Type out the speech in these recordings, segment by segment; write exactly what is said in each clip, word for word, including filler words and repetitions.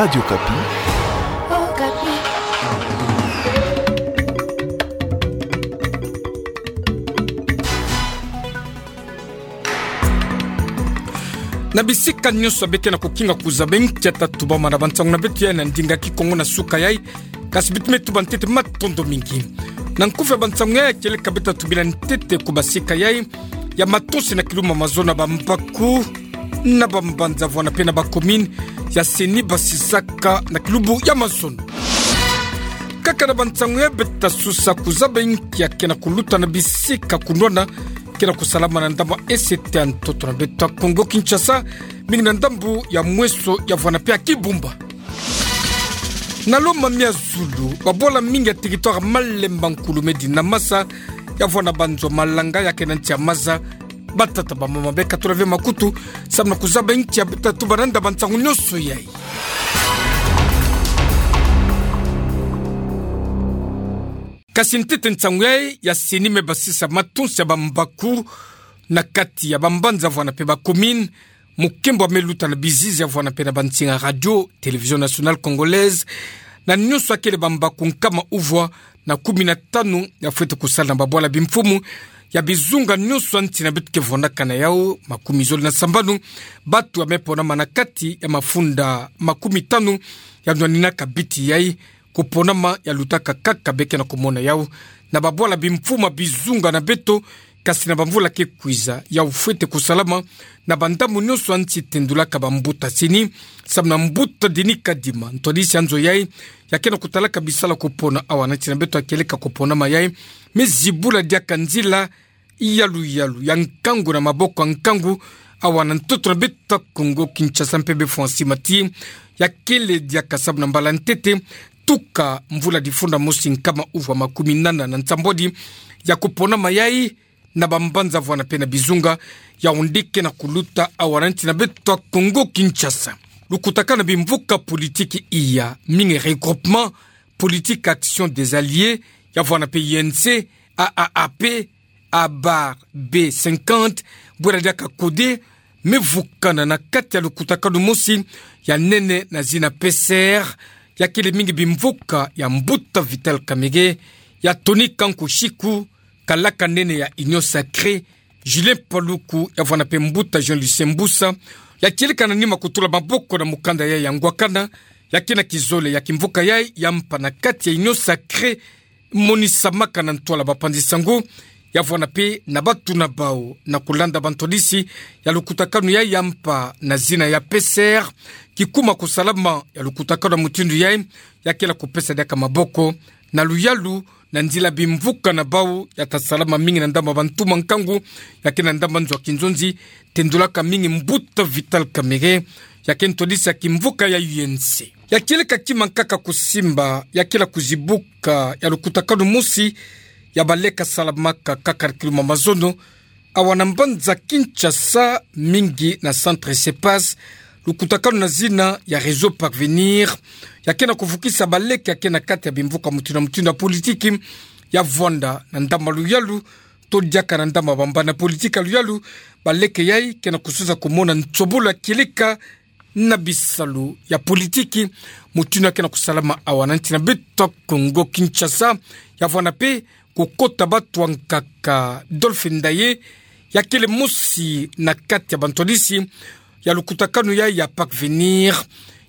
Radio Okapi. Na bisika nyonso beke na kukinga kuzaba nkia tatubama na bansangu na beto ya na ndinga kikongo na suka yai. Kasi beto me tuba ntete matondo mingi. Na nkufi ya bansangu yai, kieleka beto tubila ntete ku basika yai ya matonsi na kilumbu mazono ya bambaku na bambanza vwanda mpe na bacommune ya CENI basisaka na kilumbu ya mazono. Kaka na bansangu yai beto susa kuzaba nkia ke na kuluta na bisika kunwana ke na kusalama na ndambu ya ese ya ntoto na beto ya Kongo Kinshasa, mingi na ndambu ya Mweso ya vwanda mpe ya Kibumba. Na lo mamia zulu, babwala mingi ya territoire Malemba, Nkulumedi na Masa, ya vwanda banzo malanga ya ke na nsi ya maza, batata bamama beka tula ve makutu, samu na kuzaba nkia beto tatuba na nda bansangu nyonso yai. Kasi ntete nsangu yai ya CENI me basisa matonsi ya bambaku na kati ya bambanza vwanda mpe bacommune, mukembo ya me luta na bizizi ya vwanda mpe na bansinga Radio Télévision Nationale Congolaise, na nyonso ya kele bambaku nkama uvwa na kumi na tanu ya fwete kusala na babwala bimfumu ya bizunga nyonso ya nsi na beto ke vwandaka na yau, makumi zole na sambanu batu ya me ponama na kati ya mafunda makumi tanu ya nwaninaka biti yai. Kuponama ya lutaka kaka beke na kumona yau na babwala bimfumu ya bizunga na beto, kasi na bamvula ke kwiza yau fwete kusalama na bandambu nyonso ya nsi, tendulaka bambuta CENI, samu na mbuta Denis Kadima, ntwadisi ya nzo yai, ya ke na kutalaka bisala kupona awa na nsi na beto, ya kieleka kuponama yai me zibula diaka nzila ya luyalu ya nkangu na maboko ya nkangu awa na ntoto na beto ya Kongo Kinshasa mpe befwa nsima ti ya kele diaka samu na mbala ntete tuka mvula difunda mosi nkama uvwa makumi nana na nsambwadi ya kuponama yai na bambanza vwanda mpe na bizunga ya onde ke na kuluta awa na nsi na beto ya Kongo Kinshasa. Lukutakanu na bimvuka politiki iya mingi, Regroupement Politique Action des Alliés ya vwanda mpe U N C, A A A P, A bar B cinquante, bwela diaka CODE, me vukana na kati ya lukutakanu mosi ya nene na zina P C R, ya kele mingi bimvuka ya mbuta Vital Kamerhe, ya Tony Kanku Chiku, kalaka nene ya Union Sacrée, Julien Paluku, ya vwanda mpe mbuta Jean Lucien Mbusa, ya kieleka na nima kutula maboko na mukanda yai ya ngwakana, ya ke na kizole ya kimvuka yai ya mpa na kati ya Union Sacrée, monisamaka na ntwala bapanzi sango, ya vwanda mpe na batu na bau na kulanda bantwadisi ya lukutakanu yai ya mpa na zina ya P C R, kikuma kusalama ya lukutakanu ya mutindu yai, ya kele kupesa diaka maboko na luyalu na nzila bimvuka na bau ya ta salama mingi na ndambu ya bantu ma nkangu, ya ke na ndambu ya nzo ya kinzonzi, tendulaka mingi mbuta Vital Kamerhe, ya ke ntwadisi ya kimvuka ya U N C. Ya kieleka kima nkaka kusimba, ya kele kuzibuka ya lukutakanu mosi ya baleka salamaka kaka kiluma mazono awa na mbanza Kinshasa, mingi na centre CEPAS, lukutakanu na zina ya Réseau Parvenir, ya ke na kuvukisa baleke ya ke na kati ya bimvuka mutindu na mutindu ya politiki, ya vwanda na ndambu ya luyalu, to diaka na ndambu ya bambana politique ya luyalu, baleke yai ke na kususa kumona nsobolo ya kieleka na bisalu ya politiki, mutindu ya ke na kusalama awa na nsi na beto ya Kongo Kinshasa, ya vwanda mpe kukota batu ya nkaka Dolphy Ndaye, ya kele mosi na kati ya bantwadisi ya lukutakanu yai ya Parvenir,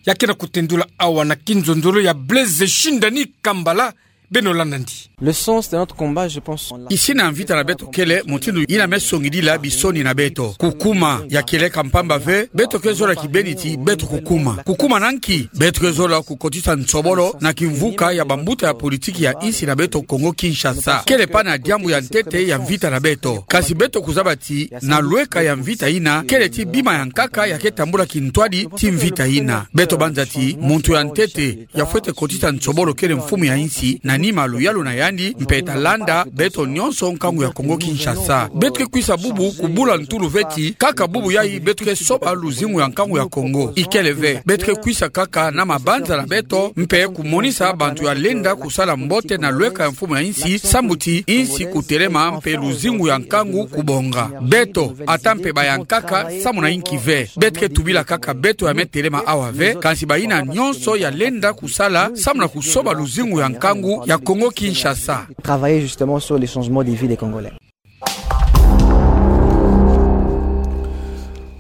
ya ke na kutendula awa na kinzonzolo ya Blaise Shindani Kambala, beno landa ndi. Le sens de notre combat, je pense, on l'a... Isina ya mvita na beto kele mutindu yina me songidila bisoni na beto. Kukuma ya kieleka mpamba ve, beto ke zola kibeni ti beto kukuma. Kukuma na nki? Beto ke zola kukotisa nsobolo na kimvuka ya bambuta ya politiki ya insi na beto Kongo Kinshasa. Kele pana diambu ya ntete ya mvita na beto. Kasi beto kuzaba ti na lweka ya mvita yina, kele ti bima ya nkaka ya ke tambula kintwadi ti mvita yina. Beto banza ti muntu ya ntete ya fwete kotisa nsobolo kele mfumu ya insi na nima luyalu na yandi, mpe ta landa beto nyonso nkangu ya Kongo Kinshasa. Beto ke kwisa bubu kubula ntulu veti, kaka bubu yayi beto ke soba luzingu ya nkangu ya Kongo. Ikele ve, beto ke kwisa kaka na mabanza na beto, mpe kumonisa bantu ya lenda kusala mbote na lweka ya mfumu ya insi, sambu ti insi kutelema mpe luzingu ya nkangu kubonga. Beto, ata mpe bayankaka, samu na inki ve. Beto ke tubila kaka beto ya me telema awa ve, kansi bayina nyonso ya lenda kusala, samu na kusoba luzingu ya nkangu ya Kongo Kinshasa. Travailler justement sur les changements de vie des Congolais.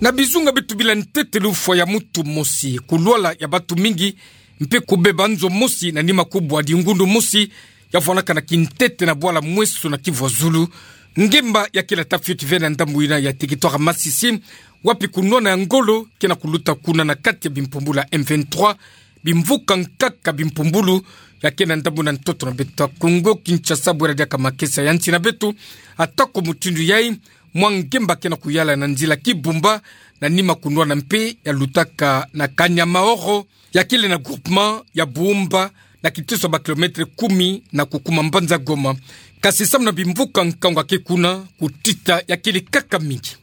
Na bizunga beto bila ntete lufwa ya mutu mosi, kulwala ya batu mingi, mpe kubeba nzo mosi na nima kubwa dingundu mosi, ya vwanakana kintete na bwala Mweso na Kivu ya Zulu. Ngemba ya kele ta fioti ve na ndambu yina ya territoire Masisi, wapi kunwana ya ngolo ke na kuluta kuna na kati ya bimpumbulu ya M vingt-trois, bimvuka nkaka bimpumbulu ya ke na ndambu na ntoto na beto ya Kongo Kinshasa, bwera diaka makesa ya nsi na beto. Atako mutindu yayi, mwa ngemba ke na kuyala na nzila Kibumba, na nima kunwana mpe ya lutaka na Kanyamaoro, ya kele na groupement ya Buumba, na kiteso ba kilomètre kumi na kukuma mbanza Goma. Kasi samu na bimvuka nkangu ya ke kuna, kutita ya kele kaka mingi.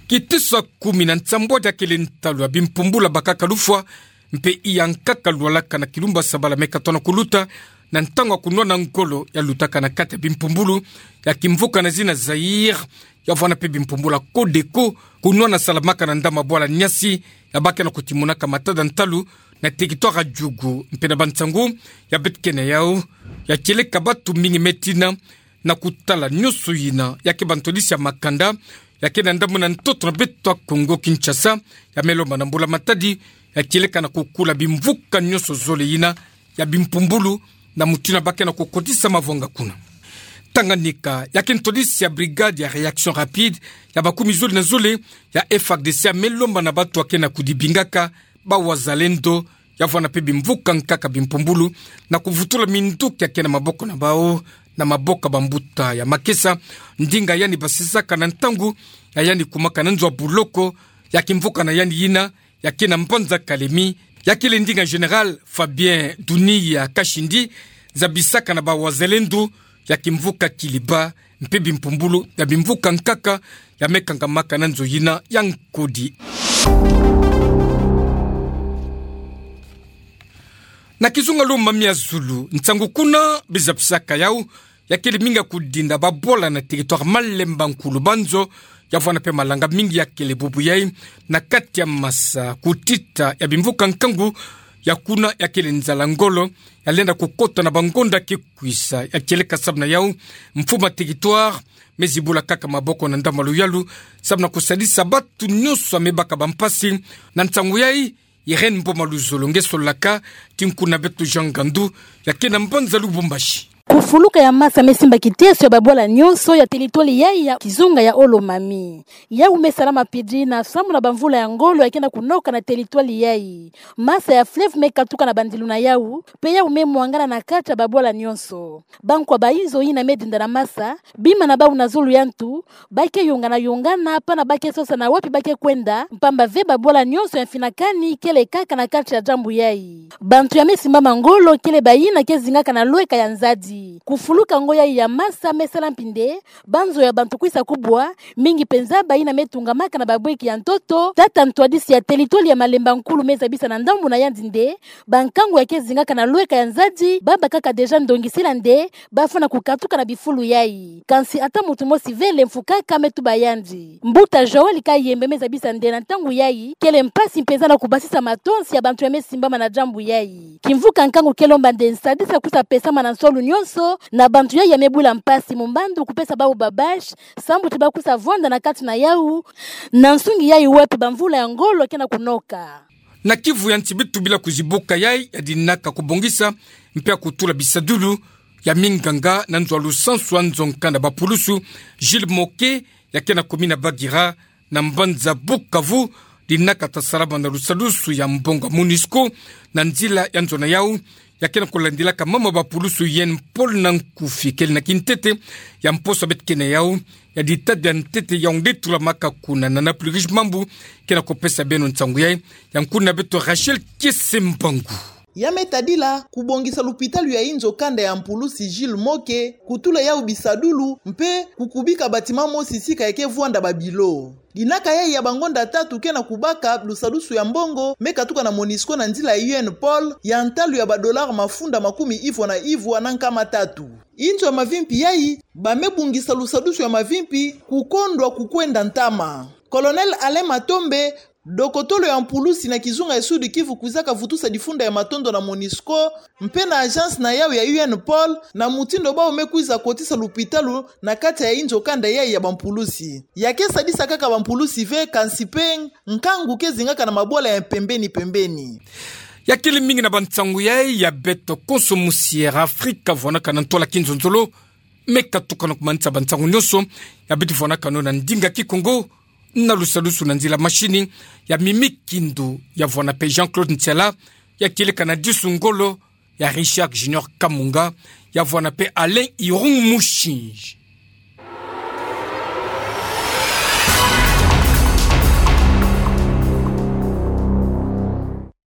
Kiteso ya kumi na nsambwadi ya kele ntalu ya bimpumbulu ya bakaka lufwa, mpe iya nkaka lwalaka na kilumbu ya sabala me katono kuluta, na ntangu ya kunwana ngolo ya lutaka na kati ya bimpumbulu ya kimvuka na zina Zaïre, ya vwana mpe bimpumbulu ya Codeco, kunwana salamaka na ndambu ya bwala Niassi, ya ba ke na kutimonaka matada ntalu na territoire ya Djugu, mpe na bansangu ya beto ke na yau, ya tieleka batu mingi me tina, na kutala nyonso yina, ya ke bantwadisi ya makanda ya ke na ndambu na ntoto na beto ya Kongo Kinshasa, ya me lomba na mbula matadi, ya tieleka na kukula bimvuka nyonso zole yina ya bimpumbulu, na mutindu ya ba ke na kukotisa mavwanga kuna. Tanganyika, ya ke ntwadisi ya brigade ya réaction rapide ya bakumi zole na zole ya F A R D C, ya me lomba na batu ya ke na kudibingaka, ba wazalendo, ya vwana mpe bimvuka nkaka bimpumbulu, na kuvutula minduki ya ke na maboko na bau, na maboko ya bambuta ya makesa, ndinga yandi basisaka na ntangu ya yandi kumaka na nzo ya buloko ya kimvuka na yandi yina, ya ke na mbanza Kalemi, ya kele ndinga Général Fabien Dunia Kashindi, zabisaka na ba wazalendo ya kimvuka Kiliba, mpe bimpumbulu ya bimvuka nkaka ya me kangamaka na nzo yina ya nkodi. Na kizunga Lomami ya zulu, nsangu kuna bizabisaka yau, ya kele mingi ya kudinda babwala na territoire Malemba Nkulu Banzo, ya vwana mpe malanga mingi ya kele bubu yai na kati ya masa, kutita ya bimvuka nkangu ya kuna, ya kele nzala ngolo ya lenda kukota na bangonda ke kwisa. Ya tieleka samu na yau, mfumu ya territoire me zibula kaka maboko na ndambu ya luyalu, samu na kusadisa batu nyonso ya me baka bampasi na nsangu yai. Irène Mboma Luzolo nge solaka, ti nkuna beto Jean Ngandu, ya ke na mbanza Lubumbashi. Kufuluka ya masa me simba kiteso ya babwala nyonso ya territoire yai ya kizunga ya Lomami. Yau me salama pidina samu na bamvula ya ngolo ya ke na kunoka na territoire yai. Masa ya fleuve me katuka na bandilu na yau, mpe yau me mwangana na kati ya babwala nyonso. Bankwa bayizo yina me dinda na masa, bima na bau na zulu ya ntu, ba ke yongana yongana, pana ba ke sosa na wapi ba ke kwenda, mpamba ve babwala nyonso ya mfinakani kele kaka na kati ya ndambu yai. Bantu ya me simbama ngolo kele bayina ke zingaka na lweka ya nzadi. Kufuluka ngo yai ya masa me sala mpinde banzo ya bantu kwisa kubwa, mingi mpenza bayina me tungamaka na babweki ya ntoto. Tata ntwadisi ya territoire ya Malemba Nkulu me zabisa na ndambu na yandi nde bankangu ya ke zingaka na lweka ya nzadi, ba bakaka déjà ndongisila nde bafwana kukatuka na bifulu yai. Kansi ata muntu mosi vele mfukaka me tuba yandi. Mbuta Joël Kayembe me zabisa nde na ntangu yai, kele mpasi mpenza na kubasisa matonsi ya bantu ya me simbama na ndambu yai. Kimvuka nkangu ke lomba nde nsadisi kwisa pesama na nsolu nyonso na bantu yai ya me bula mpasi, mu mbandu kupesa bau ba bâche, sambu ti ba kwisa vwanda na kati na yau, na nsungi yai wapi bamvula ya ngolo ke na kunoka. Na Kivu ya nsi, beto bila kuzibuka yai ya dinaka kubongisa mpe ya kutula bisadulu ya minganga na nzo ya lusansu ya nzo nkanda ba pulusu, Gilles Moke, ya ke na commune ya Bagira, na mbanza Bukavu, dinaka ta salama na lusadusu ya mbongo ya MONUSCO, na nzila ya nzo na yau, ya ke na kulandilaka mama ba pulusu Yen Paul na nkufi, kele na kintete ya mposo beto ke na yau, ya dita dia ntete ya nge tulamaka kuna na Napoli Riche Mambu, ke na kupesa beno nsangu yai, ya nkuna beto Rachel Kiese Mbangu. Ya me tadila kubongisa lupitalu ya inzo kanda ya mpulusi Gilles Moke, kutula yau bisadulu, mpe kukubika bâtiment mosi sika ya ke vwanda babilo. Dinaka yayi ya bangonda tatu ke na kubaka lusadusu ya mbongo me katuka na Monusco na nzila ya U N Pôle, ya ntalu ya ba dollars mafunda makumi ivwa na ivwa na nkama tatu. Inzo ya mavimpi yayi, ba me bungisa lusadusu ya mavimpi, kukondwa kukwenda ntama. Colonel Alain Matombe, dokotolo ya mpulusi na kizunga ya Sud-Kivu kwizaka vutusa difunda ya matondo na Monusco, mpe na agence na yau ya U N Pôle, na mutindu bau me kwiza kotisa lupitalu na kati ya inzo kanda yayi ya bampulusi. Ya ke sadisa kaka bampulusi ve, kansi mpe nkangu ke zingaka na mabwala ya mpembeni mpembeni. Ya kele mingi na bansangu yayi ya beto konso musi Air Afrika vwanaka na ntola kinzonzolo, me katuka na kumanisa bansangu nyonso, ya beti vwanakano na ndinga Kikongo, na lusadusu na nzila machine, ya Mimi Kindu, ya vwana mpe Jean-Claude Ntiala, ya kieleka na Disu Ngolo, ya Richard Junior Kamunga, ya vwana mpe Alain Irung Mushinji.